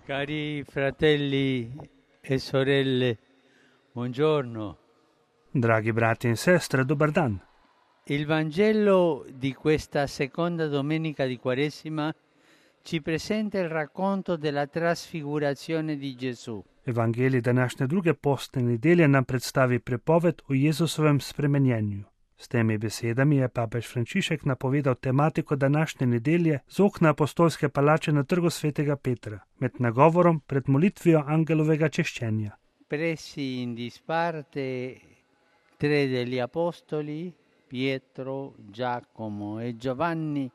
Cari fratelli e sorelle, buongiorno. Dragi brati in sestre, dobar dan. Il Vangelo di questa seconda domenica di Quaresima ci presenta il racconto della trasfigurazione di Gesù. Evangelij današnje druge postne nedelje nam predstavi prepoved o Jezusovem spremenjenju. S temi besedami je papež Frančišek napovedal tematiko današnje nedelje z okna apostolske palače na trgu svetega Petra, med nagovorom pred molitvijo angelovega češčenja. Presi in disparte tre degli apostoli, Pietro, Giacomo e Giovanni,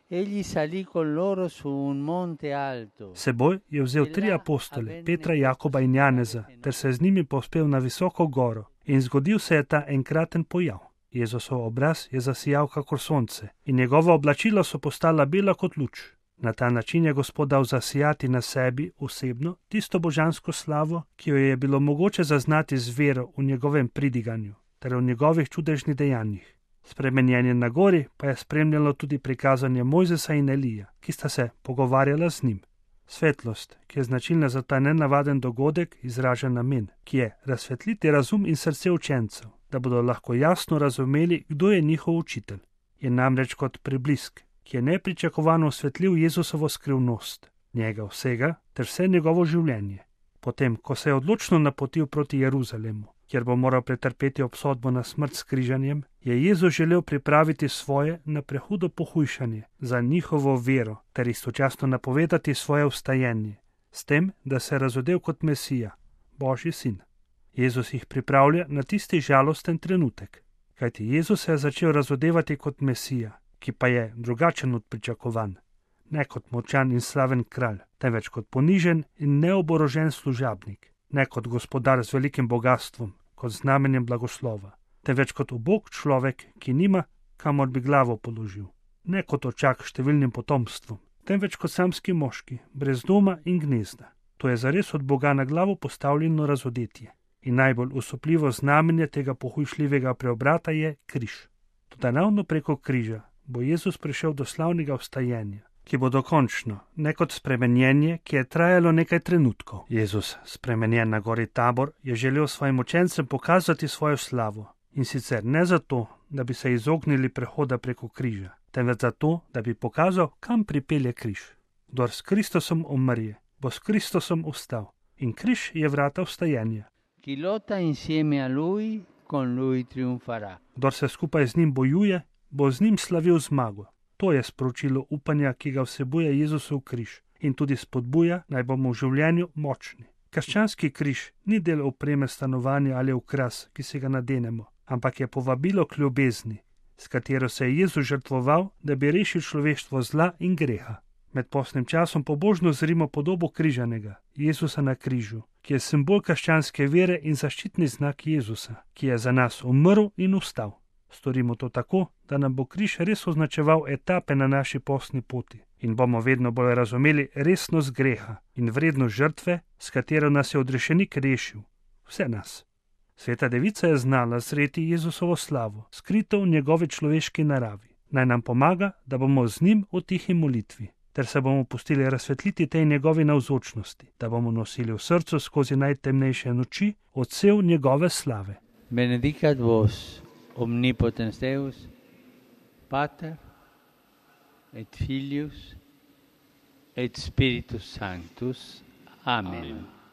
egli salì con loro su un monte alto. Seboj je vzel 3 apostole, Petra, Jakoba in Janeza, ter se z njimi povzpel na visoko goro. In zgodil se je ta enkraten pojav. Jezusov obraz je zasijal kakor sonce in njegova oblačila so postala bela kot luč. Na ta način je Gospod dal zasijati na sebi osebno tisto božansko slavo, ki jo je bilo mogoče zaznati z vero v njegovem pridiganju ter v njegovih čudežnih dejanjih. Spremenjenje na gori pa je spremljalo tudi prikazanje Mojzesa in Elija, ki sta se pogovarjala z njim. Svetlost, ki je značilna za ta nenavaden dogodek, izraža namen, ki je razsvetliti razum in srce učencev, da bodo lahko jasno razumeli, kdo je njihov učitelj. Je namreč kot preblisk, ki je nepričakovano osvetlil Jezusovo skrivnost, njega vsega ter vse njegovo življenje. Potem, ko se je odločno napotil proti Jeruzalemu, kjer bo moral pretrpeti obsodbo na smrt s križanjem, je Jezus želel pripraviti svoje na prehudo pohujšanje za njihovo vero ter istočasno napovedati svoje vstajenje, s tem, da se je razodel kot Mesija, Božji sin. Jezus jih pripravlja na tisti žalosten trenutek, kajti Jezus se je začel razodevati kot Mesija, ki pa je drugačen od pričakovan, ne kot močan in slaven kralj, temveč kot ponižen in neoborožen služabnik, ne kot gospodar z velikim bogastvom, kot znamenjem blagoslova, temveč kot ubog človek, ki nima, kamor bi glavo položil, ne kot očak številnim potomstvom, temveč kot samski moški, brez doma in gnezda. To je zares od Boga na glavo postavljeno razodetje. In najbolj usupljivo znamenje tega pohujšljivega preobrata je križ. Toda ravno preko križa bo Jezus prišel do slavnega vstajenja, ki bo dokončno, ne kot spremenjenje, ki je trajalo nekaj trenutkov. Jezus, spremenjen na gori Tabor, je želel svojim učencem pokazati svojo slavo. In sicer ne zato, da bi se izognili prehoda preko križa, temveč zato, da bi pokazal, kam pripelje križ. Kdor s Kristusom umrje, bo s Kristusom vstal. In križ je vrata vstajenja. Chi lotta insieme a lui, con lui trionfarà. Kdor se skupaj z njim bojuje, bo z njim slavil zmago. To je sporočilo upanja, ki ga vsebuje Jezusov križ in tudi spodbuja, naj bomo v življenju močni. Krščanski križ ni del opreme stanovanja ali okras, ki se ga nadenemo, ampak je povabilo k ljubezni, s katero se je Jezus žrtvoval, da bi rešil človeštvo zla in greha. Med postnim časom pobožno zrimo podobo križanega, Jezusa na križu, ki je simbol krščanske vere in zaščitni znak Jezusa, ki je za nas umrl in vstal. Storimo to tako, da nam bo križ res označeval etape na naši postni poti in bomo vedno bolj razumeli resnost greha in vrednost žrtve, s katero nas je odrešenik rešil, vse nas. Sveta Devica je znala zreti Jezusovo slavo, skrito v njegovi človeški naravi. Naj nam pomaga, da bomo z njim v tihi molitvi, ter se bomo pustili razsvetliti tej njegovi navzočnosti, da bomo nosili v srcu skozi najtemnejše noči odsev njegove slave. Benedicat vos, omnipotens Deus, Pater et Filius et Spiritus Sanctus. Amen.